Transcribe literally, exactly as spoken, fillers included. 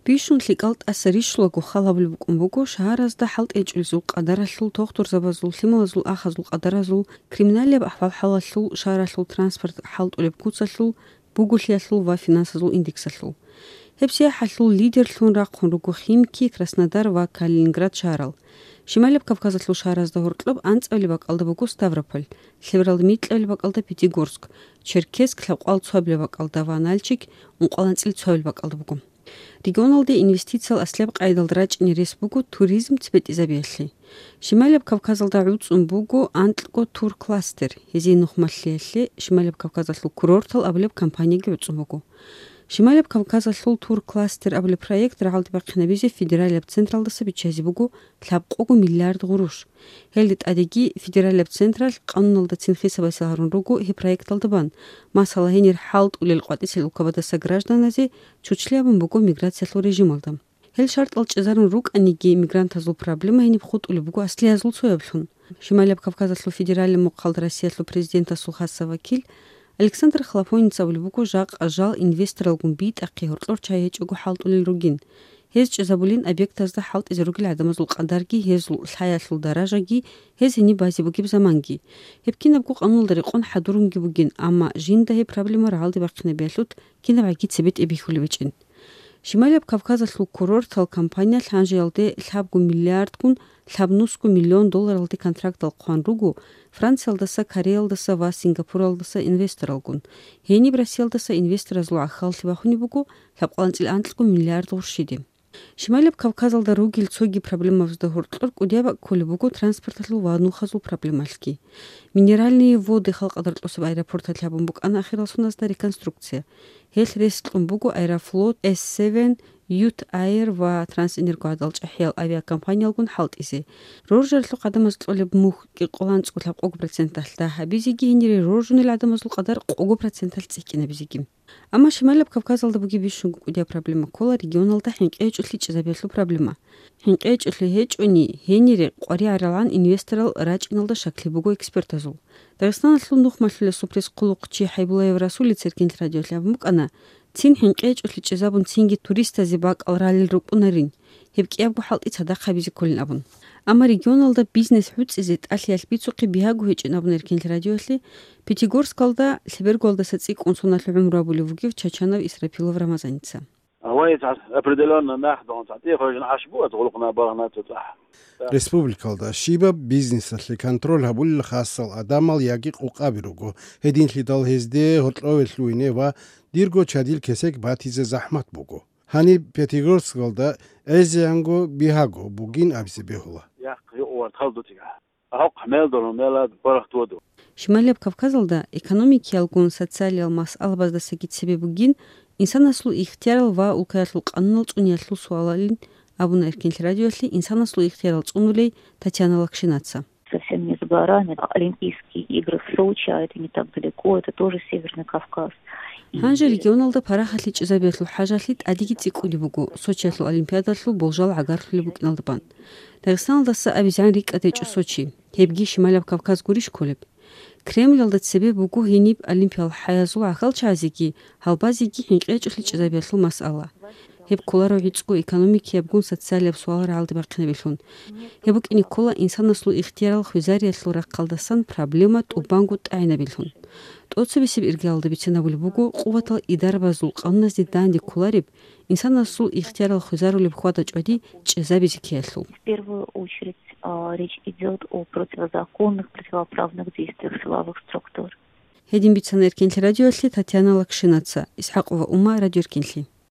Бищун лъикӀал тӀаса рищулаго хал гьабулеб букӀун буго шагьаразда хӀалтӀичӀулезул къадаралъул, тухтурзабазул, лъималазул ахазул къадаразул, криминалияб ахӀвал-хӀалалъул, шагьаралъул транспорт хӀалтӀулеб куцалъул, буголъиялъул ва финансазул индексалъул. Гьеб сияхӀалъул лидерлъун рахъун руго Химки, Краснодар ва Калининград шагьарал. Шималияб Кавказалъул шагьаразда гьоркьоб анцӀабилеб бакӀалда буго Ставрополь, лъебералда микьабилеб бакӀалда Пятигорск, Черкесск лъабкъоялда цоабилеб бакӀалда ва Нальчик ункъоялда анцӀила цоабилеб бакӀалда буго. Регионалде инвестициял аслияб къайдалда рачӀине рес буго туризм цебетӀезабиялъе. Шималияб Кавказалда гӀуцӀун буго анкьго туркластер, гьезие нухмалъиялъе Шималияб Кавказалъул курортал абулеб компанияги гӀуцӀун буго. Шималияб Кавказалъул туркластер абулеб проект рагӀалде бахъинабизе федералияб централдаса биччазе буго лъабкъого миллиард гъурущ. Гьелде тӀадеги федералияб централъ къануналдацин хисабасел гьарун руго гьеб проекталда бан, масала, гьенир хӀалтӀулел къватӀисел улкабадаса гражданазе чучлъи абун буго миграциялъул режималда. Гьел шартӀал чӀезарун рукӀаниги, мигрантазул проблема гьениб хутӀулеб буго аслиязул цояблъун. Шималияб Кавказалъул федералияб мухъалда Россиялъул президентасул хасаб вакил Александр Хлопонец абулеб буго, жакъа жал инвесторалгун битӀахъе гьоркьор чагӀи гьечӀого хӀалтӀулел ругин. Гьез чӀезабулин объектазда хӀалтӀизе ругел гӀадамазул къадарги, гьезул лъаялъул даражаги, гьез гьениб базе бугеб заманги. Гьеб кинабго къануналда рекъон хӀадурунги бугин, амма жинда гьеб проблема рагӀалде бахъинабиялъул кинабгӀаги цебетӀе бихьулеб гьечӀин. Шималияб Кавказалъул курортал компаниялъ гьанжеялде лъабго миллиардгун лъабнусго миллион долларалде контрактал хъван руго Франциялдаса, Кореялдаса ва Сингапуралдаса инвесторалгун. Гьениб Россиялдаса инвесторазул гӀахьаллъи бахунеб буго лъабкъоялда анцӀила анкьго миллиард гъурщиде. Шималияб Кавказалда ругел цоги проблемабазда гьоркьор кӀудияб бакӀ кколеб буго транспорталъул ва нухазул проблемалъги. Минеральные Воды халкъ гӀодор кьосеб аэропорталъ гьабун букӀана ахирал соналда реконструкция. Гьелъ рес кьун буго Аэрофлот, Эс Севен, Ют Айр ва Трансэнерго гӀадал чӀахӀиял авиакомпаниялгун хӀалтӀизе. Роржаралъухъ гӀадамаз кьолеб мухь кӀикъоялда анцӀго лъабкъого проценталъ дагь гьабизеги, гьенире роржунел гӀадамазул къадар къого проценталъ цӀикӀкӀинабизеги. Амма Шималияб Кавказалда бугеб бищунго кӀудияб проблема ккола регионалда хӀинкъи гьечӀолъи чӀезабиялъул проблема. ХӀинкъи гьечӀолъи гьечӀони, гьенире къваригӀаралгӀан инвесторал рачӀиналда щаклъи буго экспертазул. Дагъистаналъул нухмалъулесул пресс-хъулухъчи ХӀайбуллаев Расулица Эркенлъи радиоялъе абун букӀана, цин хӀинкъи гьечӀолъи чӀезабун, цинги туристазе бакӀал ралел рукӀунарин, гьеб кӀиябго хӀалтӀи цадахъ гьабизе кколин абун. Амма регионалда бизнес гӀуцӀизе тӀалъиялъ бицухъе бигьаго гьечӀин абун Эркенлъи радиоялъе, Пятигорскалда, лъебергоялдаса цӀикӀкӀун соналъ гӀумру гьабулев вугев Чачанов Исрапилов Рамазаница. Гьаваица определённо нахъ дагьун цадахъ гьечӀин гьачбугӀат гъулухъна баргьанатца цӀахӀ. Республикалда щибаб бизнесалъе контроль гьабулел хасал гӀадамал яги къукъаби руго, гьединлъидал гьезде гьоркьове лъугьине ва дирго чадил кесек батизе захӀмат буго. Гьаниб Пятигорскалда гӀезегӀанго бигьаго бугин абизе бегьула. Яхъ юкъ вартал дутига. Гьахъ мел дону, мела барахт воду. Шималияб Кавказалда экономикиялгун социалиял масъалабаздасаги цебе бугин инсанасул ихтиярал ва улкаялъул къанунал цӀуниялъул суалалин абуна Эркенлъи радиоялъе инсанасул ихтиярал цӀунулей Татьяна Лакшинаца. Совсем не за горами, а Олимпийские игры в Сочи, а это не так далеко, это тоже Северный Кавказ. И Гьанже регионалда парахалъи чӀезабиялъул хӀажалъи тӀадеги цӀикӀкӀунеб буго, Сочиялъул Олимпиадалъул болжал гӀагарлъулеб букӀиналда бан. Дагъистаналдаса абизегӀан рикӀкӀад гьечӀо Сочи, гьебги Шималияб Кавказ гурищ кколеб? Кремльалда цебе буго гьениб олимпиял хӀаязул гӀахьалчагӀазеги, гьалбазеги хӀинкъи гьечӀолъи чӀезабиялъул масъала. Гьеб кколаро гӀицӀго экономикиябгун социалияб суал рагӀалде бахъинабилъун. Гьеб букӀине ккола инсанасул ихтиярал хвезариялъул рахъалдасан проблема тӀубанго тӀагӀинабилъун. ТӀоцебесеб иргаялда бицинабулеб буго къуватал идарабазул къануназде данде кколареб, инсанасул ихтиярал хвезарулеб хьвада-чӀвади чӀезабизе ккеялъул. В первую очередь, а, речь идёт о противозаконных, противоправных действиях силовых структур. Гьедин бицана Эркенлъи радиоялъе Татьяна Лакшинаца, ИсхӀакъова Ума, Радио Эркенлъи.